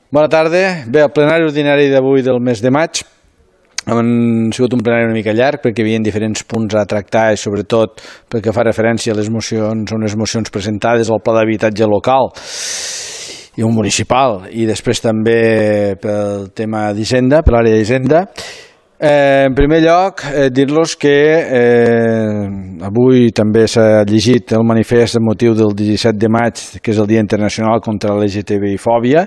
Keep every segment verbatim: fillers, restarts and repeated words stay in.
Bona tarda. Bé, el plenari ordinari d'avui del mes de maig ha sigut un plenari una mica llarg perquè hi havia diferents punts a tractar i sobretot perquè fa referència a les mocions, a unes mocions presentades al pla d'habitatge local i un municipal i després també pel tema d'Hisenda, per l'àrea d'Hisenda. Eh, en primer lloc, eh, dir-los que eh, avui també s'ha llegit el manifest amb motiu del disset de maig, que és el Dia Internacional contra la L G T B I fòbia,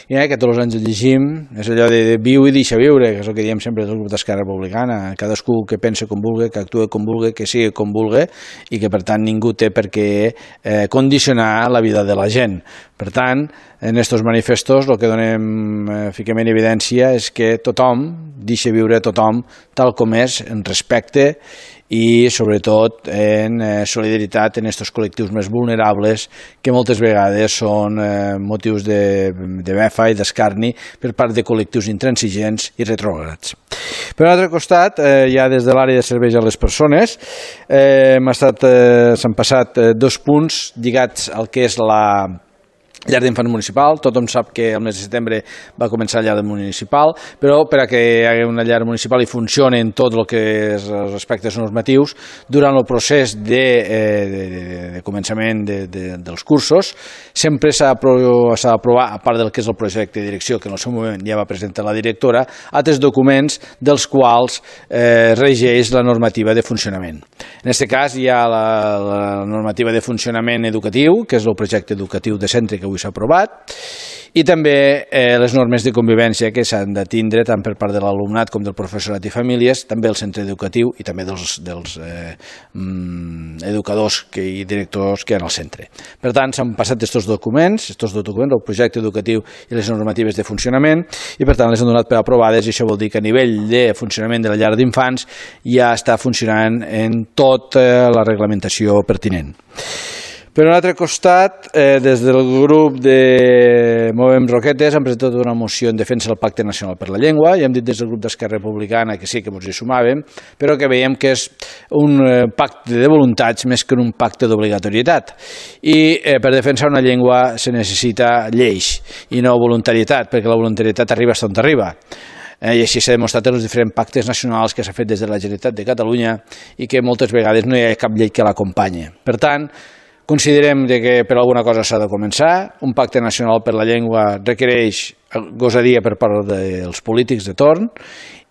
i eh, que tots els anys el llegim, és allò de, de viu i deixa viure, que és el que diem sempre del grup d'Esquerra Republicana, cadascú que pense com vulgui, que actue com vulgui, que sigui com vulgui, i que per tant ningú té per què eh, condicionar la vida de la gent. Per tant, en aquests manifestos el que donem, eh, fiquem en evidència és que tothom deixa viure tothom tal com és, en respecte i sobretot en eh, solidaritat en aquests col·lectius més vulnerables que moltes vegades són eh, motius de, de befa i d'escarni per part de col·lectius intransigents i retrògrads. Per un altre costat, eh, ja des de l'àrea de serveis a les persones, eh, hem estat, eh, s'han passat eh, dos punts lligats al que és la llar d'infants municipal. Tothom sap que el mes de setembre va començar la llar municipal, però per a que hi hagi una llar municipal i funcioni en tot el que és els aspectes normatius, durant el procés de, eh, de, de, de començament de, de, dels cursos, sempre s'ha d'aprovar, a part del que és el projecte de direcció, que en el seu moment ja va presentar la directora, altres documents dels quals eh, regeix la normativa de funcionament. En aquest cas hi ha la, la normativa de funcionament educatiu, que és el projecte educatiu de centre que avui s'ha aprovat, i també eh, les normes de convivència que s'han de tindre tant per part de l'alumnat com del professorat i famílies, també el centre educatiu i també dels, dels eh, mm, educadors que, i directors que hi ha al centre. Per tant, s'han passat aquests documents, aquests dos documents, el projecte educatiu i les normatives de funcionament, i per tant les han donat per aprovades, i això vol dir que a nivell de funcionament de la llar d'infants ja està funcionant en tota la reglamentació pertinent. Per un altre costat, eh, des del grup de Movem Roquetes hem presentat una moció en defensa del Pacte Nacional per la Llengua i hem dit des del grup d'Esquerra Republicana que sí que ens hi sumàvem, però que veiem que és un eh, pacte de voluntats més que un pacte d'obligatorietat. I eh, per defensar una llengua se necessita lleis i no voluntarietat, perquè la voluntarietat arriba fins on arriba. Eh, I així s'ha demostrat en els diferents pactes nacionals que s'ha fet des de la Generalitat de Catalunya i que moltes vegades no hi ha cap llei que l'acompanye. Per tant, considerem que per alguna cosa s'ha de començar. Un pacte nacional per la llengua requereix gosadia per part dels polítics de torn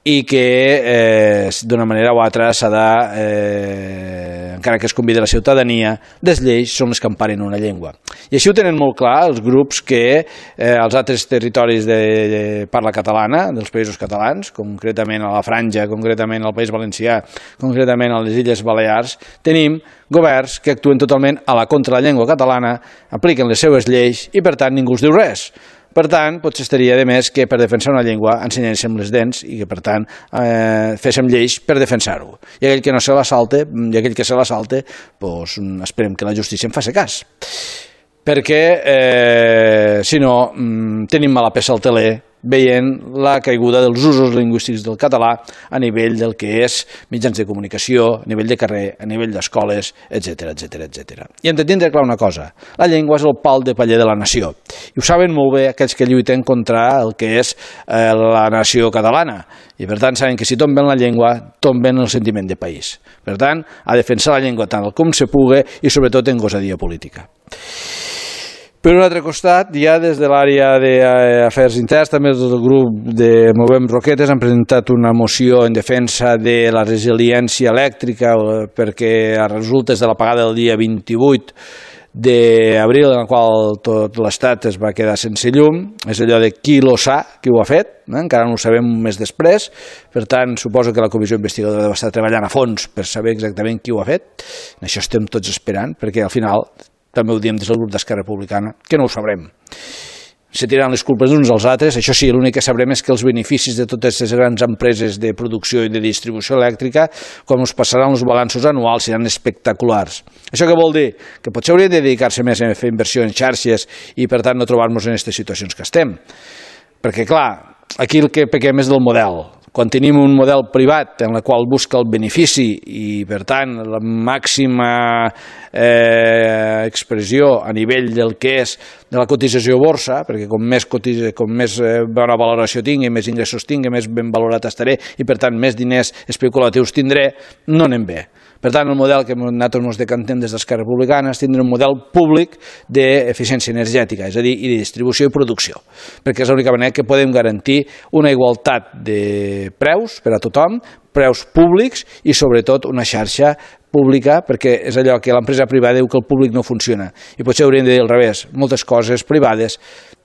i que eh, d'una manera o altra s'ha de, eh, encara que es convidi la ciutadania, les lleis són les que emparen una llengua. I així ho tenen molt clar els grups que eh, als altres territoris de, de parla catalana, dels països catalans, concretament a la Franja, concretament al País Valencià, concretament a les Illes Balears, tenim governs que actuen totalment a la contra la llengua catalana, apliquen les seues lleis i per tant ningú els diu res. Per tant, potser estaria de més que per defensar una llengua ensenyéssim les dents i que per tant eh, féssim lleis per defensar-ho. I aquell que no se la salte, i aquell que se la salte, doncs esperem que la justícia en faci cas. Perquè, eh, si no, tenim mala peça al teler veient la caiguda dels usos lingüístics del català a nivell del que és mitjans de comunicació, a nivell de carrer, a nivell d'escoles, etcètera, etcètera, etcètera. I hem de tindre clar una cosa, la llengua és el pal de paller de la nació. I ho saben molt bé aquells que lluiten contra el que és eh, la nació catalana. I per tant saben que si tomben la llengua, tomben el sentiment de país. Per tant, a defensar la llengua tant com se pugui i sobretot en gosadia política. Per un altre costat, ja des de l'àrea d'afers interns, també des del grup de Movem Roquetes han presentat una moció en defensa de la resiliència elèctrica perquè a resultes de l'apagada del dia vint-i-vuit d'abril, en el qual tot l'estat es va quedar sense llum, és allò de qui lo sa, qui ho ha fet, eh? Encara no ho sabem un mes després, per tant suposo que la comissió investigadora deu estar treballant a fons per saber exactament qui ho ha fet, en això estem tots esperant, perquè al final també ho diem des del grup d'Esquerra Republicana, que no ho sabrem. Se tiraran les culpes uns als altres, això sí, l'únic que sabrem és que els beneficis de totes aquestes grans empreses de producció i de distribució elèctrica, quan us passaran els balanços anuals, seran espectaculars. Això què vol dir? Que potser haurien de dedicar-se més a fer inversió en xarxes i, per tant, no trobar-nos en aquestes situacions que estem. Perquè, clar, aquí el que pequem és del model. Quan tenim un model privat en el qual busca el benefici i, per tant, la màxima eh, expressió a nivell del que és de la cotització a borsa, perquè com més, cotitza, com més eh, bona valoració tingui, més ingressos tingui, més ben valorat estaré i, per tant, més diners especulatius tindré, no anem bé. Per tant, el model que nosaltres ens decantem des d'Esquerra Republicana és tindre un model públic d'eficiència energètica, és a dir, i de distribució i producció, perquè és l'única manera que podem garantir una igualtat de preus per a tothom, preus públics i, sobretot, una xarxa pública, perquè és allò que l'empresa privada diu que el públic no funciona. I potser hauríem de dir al revés, moltes coses privades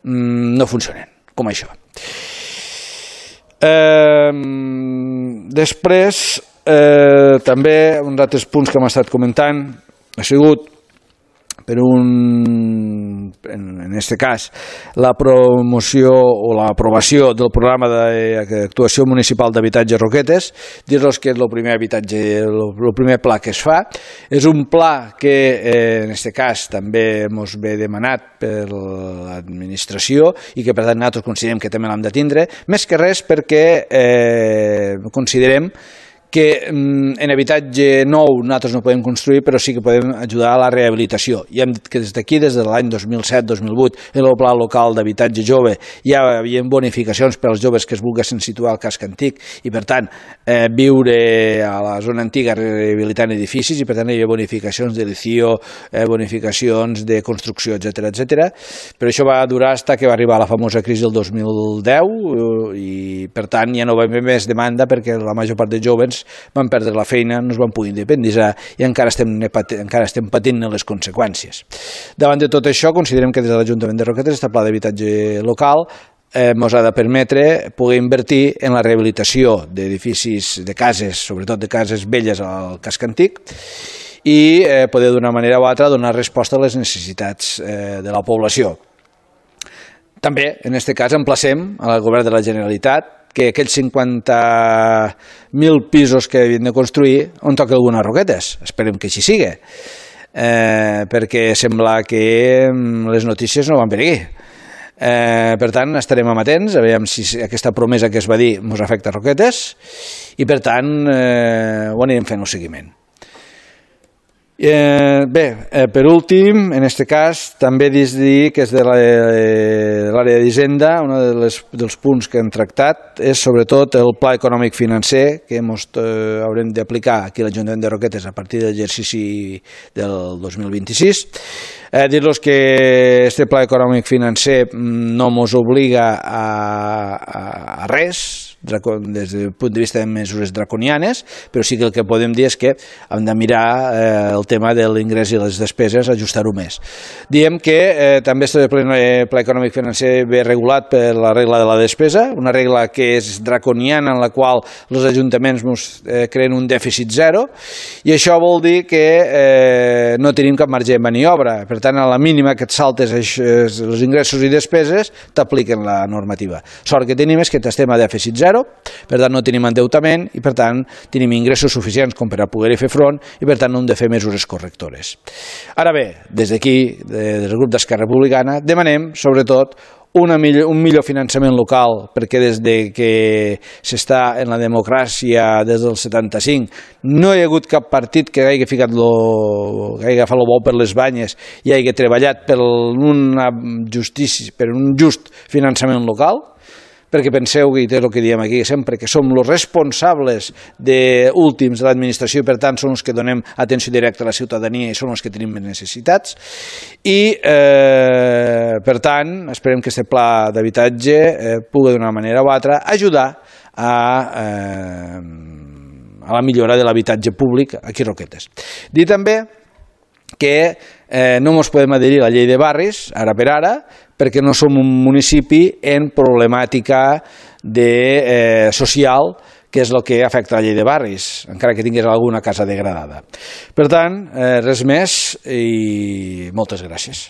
mmm, no funcionen, com això. Eh, després, Eh, també uns altres punts que hem estat comentant ha sigut per un, en aquest cas, la promoció o l'aprovació del programa d'actuació municipal d'habitatge Roquetes. Dir-los que és el primer habitatge, el primer pla que es fa. És un pla que, eh, en aquest cas, també ens ve demanat per l'administració i que, per tant, nosaltres considerem que també l'hem de tindre, més que res perquè eh, considerem que en habitatge nou nosaltres no podem construir, però sí que podem ajudar a la rehabilitació. I hem dit que des d'aquí, des de l'any dos mil set dos mil vuit, en el pla local d'habitatge jove ja hi havia bonificacions per als joves que es volguessin situar al casc antic i, per tant, eh, viure a la zona antiga rehabilitant edificis i, per tant, hi havia bonificacions de l'I C I O, eh, bonificacions de construcció, etcètera, etcètera. Però això va durar fins que va arribar la famosa crisi del dos mil deu i, per tant, ja no va haver més demanda perquè la major part de joves van perdre la feina, no es van poder independitzar i encara estem, encara estem patint les conseqüències. Davant de tot això, considerem que des de l'Ajuntament de Roquetes aquest pla d'habitatge local ens eh, ha de permetre poder invertir en la rehabilitació d'edificis, de cases, sobretot de cases velles al casc antic, i eh, poder d'una manera o altra donar resposta a les necessitats eh, de la població. També, en aquest cas, emplacem al Govern de la Generalitat que aquells cinquanta mil pisos que havien de construir on toca alguna Roquetes. Esperem que així sigui, eh, perquè sembla que les notícies no van per aquí. Eh, per tant, estarem amatents a veure si aquesta promesa que es va dir ens afecta a Roquetes i, per tant, eh, ho anirem fent el seguiment. Eh, bé, eh, per últim, en aquest cas, també dir que és de l'àrea d'Hisenda, un de dels punts que hem tractat és sobretot el pla econòmic financer que mos, eh, haurem d'aplicar aquí a l'Ajuntament de Roquetes a partir de l'exercici del dos mil vint-i-sis. Eh, dir-los que aquest pla econòmic financer no mos obliga a, a, a res, des del punt de vista de mesures draconianes, però sí que el que podem dir és que hem de mirar eh, el tema de l'ingrés i les despeses, ajustar-ho més. Diem que eh, també aquest pla econòmic financer ve regulat per la regla de la despesa, una regla que és draconiana en la qual els ajuntaments eh, creen un dèficit zero, i això vol dir que eh, no tenim cap marge de maniobra. Per tant, a la mínima que et saltes els ingressos i despeses, t'apliquen la normativa. Sort que tenim és que estem a dèficit zero, per tant no tenim endeutament i, per tant, tenim ingressos suficients com per a poder-hi fer front i, per tant, no hem de fer mesures correctores. Ara bé, des d'aquí, des del grup d'Esquerra Republicana, demanem, sobretot, Una millor, un millor finançament local, perquè des de que s'està en la democràcia des del setanta-cinc no hi ha hagut cap partit que hagi ficat lo, que hagi agafat el bou per les banyes i hagi treballat per, una justícia, per un just finançament local, perquè penseu, i és el que diem aquí sempre, que som els responsables de últims de l'administració i, per tant, són els que donem atenció directa a la ciutadania i són els que tenim més necessitats. I, eh, per tant, esperem que aquest pla d'habitatge eh, pugui, d'una manera o altra, ajudar a, eh, a la millora de l'habitatge públic aquí a Roquetes. Dir també que eh, no ens podem adherir a la llei de barris, ara per ara, perquè no som un municipi en problemàtica de, eh, social, que és el que afecta la llei de barris, encara que tingués alguna casa degradada. Per tant, eh, res més i moltes gràcies.